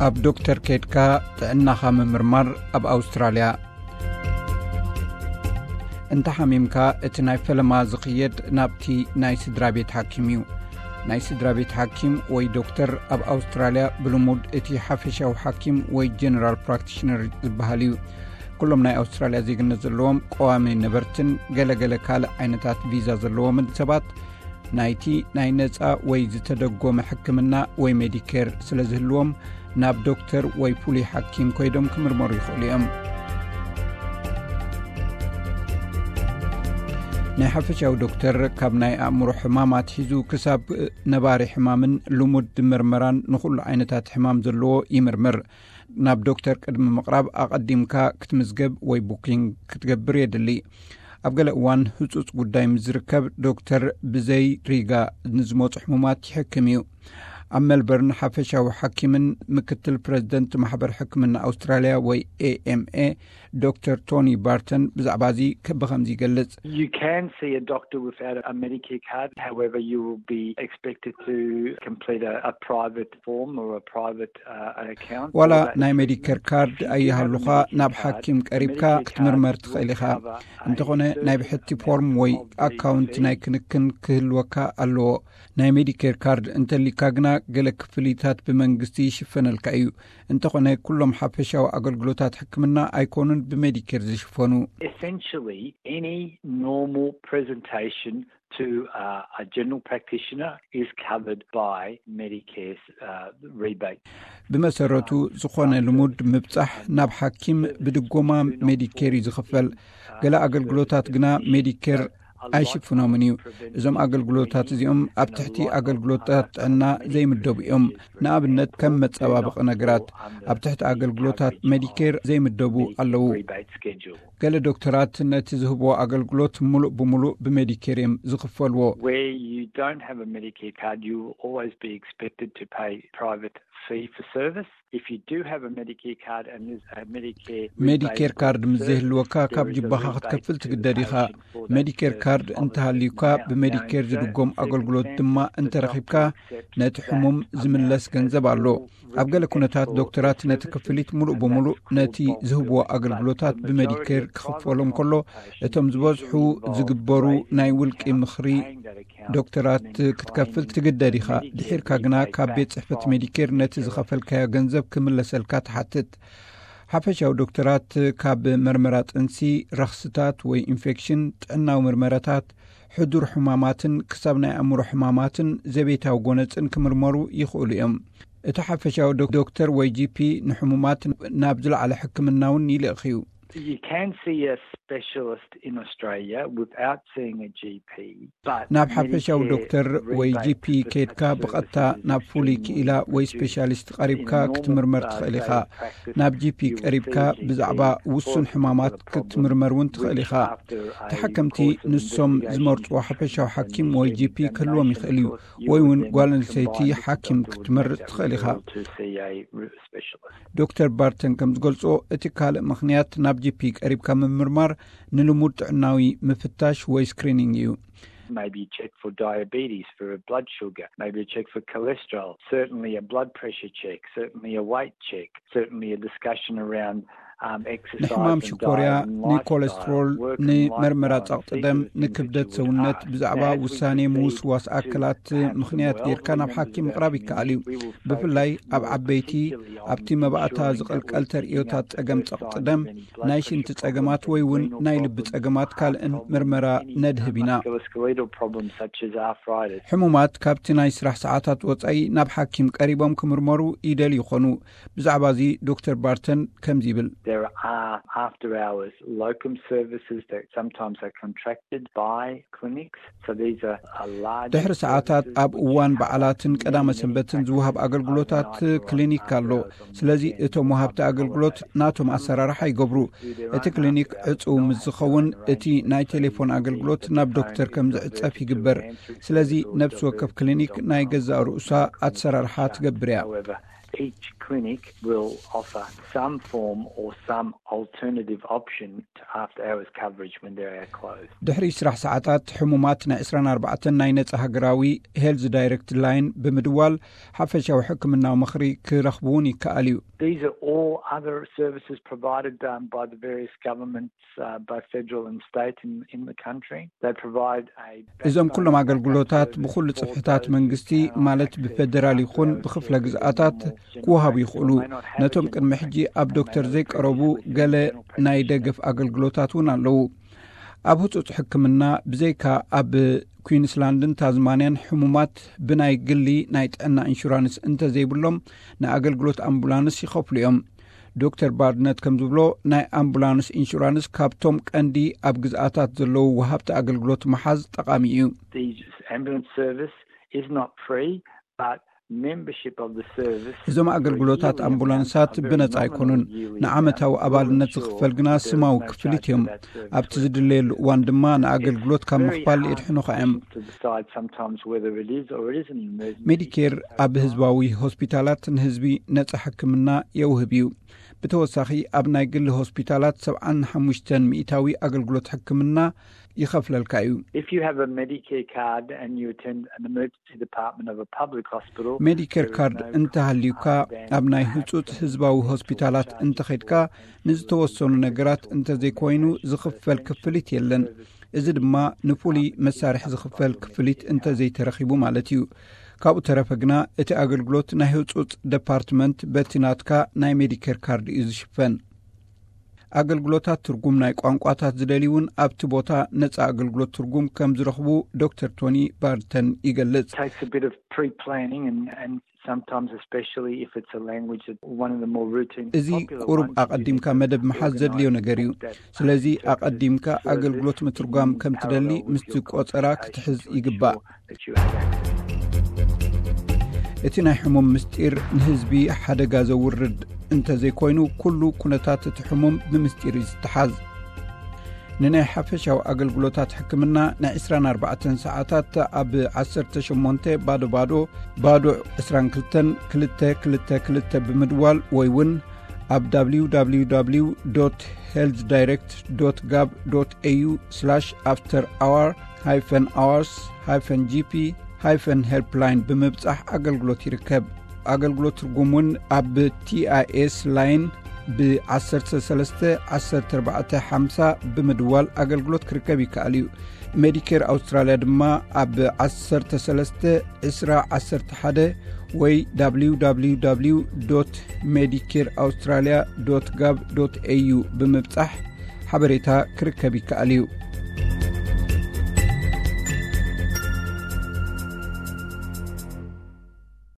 ኣብ ዶክተር ኬድካ ጥዕናኻ ምምርማር ኣብ ኣውስትራልያ። እንተ ሓሚምካ፣ እቲ ናይ ፈለማ ዝኽየድ ናብቲ ናይ ስድራ ቤት ሓኪም እዩ። ናይ ስድራ ቤት ሓኪም ወይ ዶክተር ኣብ ኣውስትራልያ ብልሙድ እቲ ሓፈሻዊ ሓኪም ወይ ጀነራል ፕራክቲሽነር ዝበሃል እዩ። ኩሎም ናይ ኣውስትራልያ ዜግነት ዘለዎም፣ ቀዋሚ ነበርትን ገለገለ ካልእ ዓይነታት ቪዛ ዘለዎምን ሰባት፣ ናይቲ ናይ ነጻ ወይ ዝተደጎመ ሕክምና ወይ ሜዲኬር ስለ ዝህልዎም፣ ናብ ዶክተር ወይ ፍሉይ ሓኪም ኮይዶም ክምርመሩ ይኽእሉ እዮም። ናይ ሓፈሻዊ ዶክተር ካብ ናይ ኣእምሮ ሕማም ኣትሒዙ ክሳብ ነባሪ ሕማምን ልሙድ ምርመራን ንኹሉ ዓይነታት ሕማም ዘለዎ ይምርምር። ናብ ዶክተር ቅድሚ ምቕራብ ኣቐዲምካ ክትምዝገብ ወይ ቡኪንግ ክትገብር የድሊ። ኣብ ገለ እዋን ህጹጽ ጉዳይ ምስ ዝርከብ፣ ዶክተር ብዘይ ሪጋ ንዝመጹ ሕሙማት ይሕክም እዩ። ኣብ ሜልበርን ሓፈሻዊ ሓኪምን ምክትል ፕረዚደንት ማሕበር ሕክምና ኣውስትራልያ ወይ ኤ ኤም ኤ ዶክተር ቶኒ ባርተን ብዛዕባ እዚ ከ-፣ ብኸምዚ ይገልጽ። You can see a doctor without a Medicare card. However, you will be expected to complete a, a private form or a private, uh, an account ዋላ for that ናይ treatment. ሜዲኬር ካርድ ኣይሃሉኻ፣ ናብ ሓኪም ቀሪብካ ክትምርመር ትኽእል ኢኻ። እንተኾነ ናይ ብሕቲ ፎርም ወይ ኣካውንት ናይ ክንክን ክህልወካ ኣለዎ። ናይ ሜዲኬር ካርድ እንተሊካ ግና፣ ገለ ክፍሊታት ብመንግስቲ ይሽፈነልካ እዩ። እንተኾነ፣ ኩሎም ሓፈሻዊ ኣገልግሎታት ሕክምና ኣይኮኑን ብሜዲኬር ዝሽፈኑ። Essentially, any normal presentation to, uh, a general practitioner is covered by Medicare's, uh, rebate. ብመሰረቱ፣ ዝኾነ ልሙድ ምብጻሕ ናብ ሓኪም ብድጎማ ሜዲኬር እዩ ዝኽፈል። ገለ ኣገልግሎታት ግና ሜዲኬር ኣይሽፍኖምን እዩ። እዞም ኣገልግሎታት እዚኦም ኣብ ትሕቲ ኣገልግሎታት ጥዕና ዘይምደቡ እዮም። ንኣብነት፣ ከም መጸባበቒ ነገራት፣ ኣብ ትሕቲ ኣገልግሎታት ሜዲኬር ዘይምደቡ ኣለዉ። ገለ ዶክተራት ነቲ ዝህብዎ ኣገልግሎት ምሉእ ብምሉእ ብሜዲኬር እዮም ዝኽፈልዎ። Where you don't have a Medicare card, you will always be expected to pay private fee for service. If you do have a Medicare card and there's a Medicare ሜዲኬር ካርድ ምስ ዘይህልወካ፣ ካብ ጅባኻ ክትከፍል ትግደድ ኢኻ። ሜዲኬር ካርድ እንተሃልዩካ፣ ብሜዲኬር ዝድጎም ኣገልግሎት ድማ እንተረኺብካ፣ ነቲ ሕሙም ዝምለስ ገንዘብ ኣሎ። ኣብ ገለ ኩነታት፣ ዶክተራት ነቲ ክፍሊት ምሉእ ብምሉእ ነቲ ዝህብዎ ኣገልግሎታት ብሜዲኬር ክኽፈሎም ከሎ፣ እቶም ዝበዝሑ ዝግበሩ ናይ ውልቂ ምኽሪ ዶክተራት ክትከፍል ትግደድ ኢኻ። ድሒርካ ግና ካብ ቤት ጽሕፈት ሜዲኬር ነቲ ዝኸፈልካዮ ገንዘብ ክምለሰልካ ትሓትት። ሓፈሻዊ ዶክተራት ካብ መርመራ ጥንሲ፣ ረኽስታት ወይ ኢንፌክሽን፣ ጥዕናዊ ምርመራታት፣ ሕዱር ሕማማትን ክሳብ ናይ ኣእምሮ ሕማማትን ዘቤታዊ ጎነጽን ክምርመሩ ይኽእሉ እዮም። እቲ ሓፈሻዊ ዶ-፣ ዶክተር ወይ ጂ ፒ ንሕሙማት ናብ ዝለዓለ ሕክምና እውን ይልእኽ እዩ። You can see a specialist in Australia without seeing a G P, but ናብ ሓፈሻዊ ዶክተር ወይ ጂ ፒ ከይድካ ብቐጥታ ናብ ፍሉይ ክኢላ ወይ ስፔሻሊስት ቀሪብካ ክትምርመር ትኽእል ኢኻ። ናብ ጂ ፒ ቀሪብካ ብዛዕባ ውሱን ሕማማት ክትምርመር እውን ትኽእል ኢኻ። ተሓከምቲ ንሶም ዝመርጽዎ ሓፈሻዊ ሓኪም ወይ ጂ ፒ ክህልዎም ይኽእል እዩ፣ ወይ እውን ጓል ኣንስተይቲ ሓኪም ክትመርጽ ትኽእል ኢኻ። ዶክተር ባርተን ከም ዝገልጾ፣ እቲ ካልእ ምኽንያት ናብ ጂ ፒ ቀሪብካ ምምርማር ንልሙድ ጥዕናዊ ምፍታሽ ወይ ስክሪኒንግ እዩ። Maybe you check for diabetes, for a blood sugar, maybe you check for cholesterol, certainly a blood pressure check, certainly a weight check, certainly a discussion around, um, exercise ንሕማም and ሽኮርያ፣ diet and ንኮለስትሮል፣ lifestyle, work and ንመርመራ lifestyle, ጸቕጢ ደም፣ ንክብደት ሰውነት፣ ብዛዕባ ውሳኔ ምውስዋስ ኣክላት ምኽንያት ጌርካ ናብ ሓኪም ምቕራብ ይከኣል እዩ። ብፍላይ ኣብ ዓበይቲ፣ ኣብቲ መባእታ ዝቕልቀል ተርእዮታት ጸገም ጸቕጢ ደም፣ ናይ ሽንቲ ጸገማት ወይ እውን ናይ ልቢ ጸገማት ካልእን ምርመራ ነድህብ ኢና። ሕሙማት ካብቲ ናይ ስራሕ ሰዓታት ወጻኢ ናብ ሓኪም ቀሪቦም ክምርመሩ ይደልዩ ይኾኑ። ብዛዕባ እዚ ዶክተር ባርተን ከምዚ ይብል። There are after hours locum services that sometimes are contracted by clinics. So these are, are large ድሕሪ ሰዓታት ኣብ እዋን በዓላትን ቀዳመ ሰንበትን ዝወሃብ ኣገልግሎታት ክሊኒክ ኣሎ። ስለዚ እቶም ወሃብቲ ኣገልግሎት ናቶም ኣሰራርሓ ይገብሩ። እቲ ክሊኒክ ዕጹው ምስ ዝኸውን፣ እቲ ናይ ቴሌፎን ኣገልግሎት ናብ ዶክተር ከም ዝዕጸፍ ይግበር። ስለዚ ነብሲ ወከፍ ክሊኒክ ናይ ገዛእ ርእሳ ኣሰራርሓ ትገብር እያ። Each clinic will offer some form or some alternative option to after hours coverage when they're closed. ድሕሪ ስራሕ ሰዓታት ሕሙማት ናይ ዕስራን ኣርባዕተን ናይ ነጻ ሃገራዊ ሄልዝ ዳይሬክት ላይን ብምድዋል ሓፈሻዊ ሕክምናዊ ምኽሪ ክረኽቡ እውን ይከኣል እዩ። These are all other services provided um, by the various governments, uh, both federal and state in, in the country. They provide a እዞም ኩሎም ኣገልግሎታት ብኹሉ ጽፍሕታት መንግስቲ ማለት ብፌደራል ይኹን ብክፍለ ግዝኣታት ክወሃቡ ይኽእሉ። ነቶም ቅድሚ ሕጂ ኣብ ዶክተር ዘይቀረቡ ገለ ናይ ደገፍ ኣገልግሎታት እውን ኣለዉ። ኣብ ህጹጽ ሕክምና ብዘይካ ኣብ ኩዊንስላንድን ታዝማንያን ሕሙማት ብናይ ግሊ ናይ ጥዕና ኢንሹራንስ እንተዘይብሎም ንኣገልግሎት ኣምቡላንስ ይኸፍሉ እዮም። ዶክተር ባርድነት ከም ዝብሎ ናይ ኣምቡላንስ ኢንሹራንስ ካብቶም ቀንዲ ኣብ ግዝኣታት ዘለዉ ወሃብቲ ኣገልግሎት ምሓዝ ጠቓሚ እዩ። The ambulance service is not free, but membership of the service እዞም ኣገልግሎታት ኣምቡላንሳት ብነጻ ኣይኮኑን። ንዓመታዊ ኣባልነት ዝኽፈል ግና ስማዊ ክፍሊት እዮም። ኣብቲ ዝድለየሉ እዋን ድማ ንኣገልግሎት ካብ ምኽፋል የድሕኑኻ እዮም። To decide sometimes whether it is or it isn't an emergency. ሜዲኬር ኣብ ህዝባዊ ሆስፒታላት ንህዝቢ ነጻ ሕክምና የውህብ እዩ። ብተወሳኺ ኣብ ናይ ግሊ ሆስፒታላት ሰብዓን ሓሙሽተን ሚእታዊ ኣገልግሎት ሕክምና ይኸፍለልካ እዩ። If you have a Medicare card and you attend an emergency department of a public hospital, ሜዲኬር ካርድ እንተሃልዩካ ኣብ ናይ ህጹጽ ህዝባዊ ሆስፒታላት እንተኸድካ ንዝተወሰኑ ነገራት እንተዘይኮይኑ ዝኽፈል ክፍሊት የለን። እዚ ድማ ንፍሉይ መሳርሒ ዝኽፈል ክፍሊት እንተዘይተረኺቡ ማለት እዩ። ካብኡ ተረፈ ግና እቲ ኣገልግሎት ናይ ህጹጽ ደፓርትመንት በቲ ናትካ ናይ ሜዲኬር ካርድ እዩ ዝሽፈን። ኣገልግሎታት ትርጉም ናይ ቋንቋታት ዝደልዩ እውን ኣብቲ ቦታ ነጻ ኣገልግሎት ትርጉም ከም ዝረኽቡ ዶክተር ቶኒ ባርተን ይገልጽ። Takes a bit of pre-planning and, and sometimes, especially if it's a language that one of the more routine እዚ ቁሩብ ኣቐዲምካ መደብ ምሓዝ ዘድልዮ ነገር እዩ። ስለዚ ኣቐዲምካ ኣገልግሎት ምትርጓም ከም ትደሊ ምስቲ ቆጸራ ክትሕዝ ይግባእ። እቲ ናይ ሕሙም ምስጢር ንህዝቢ ሓደጋ ዘውርድ እንተዘይኮይኑ ኩሉ ኩነታት እቲ ሕሙም ብምስጢር እዩ ዝተሓዝ። ንናይ ሓፈሻዊ ኣገልግሎታት ሕክምና ናይ ዕስራን ኣርባዕተን ሰዓታት ኣብ ዓሰርተ ሸሞንተ ባዶ ባዶ ባዶ ዕስራን ክልተን ክልተ ክልተ ክልተ ብምድዋል ወይ እውን ኣብ www healthdirect gov au after hour hyphen hours hyphen gp hyphen helpline ብምብጻሕ ኣገልግሎት ይርከብ። ኣገልግሎት ትርጉም እውን ኣብ ቲኣይኤስ ላይን ብ13 1450 ብምድዋል ኣገልግሎት ክርከብ ይከኣል እዩ። ሜዲኬር ኣውስትራልያ ድማ ኣብ 13 20 11 ወይ www medicare australia gov au ብምብጻሕ ሓበሬታ ክርከብ ይከኣል እዩ።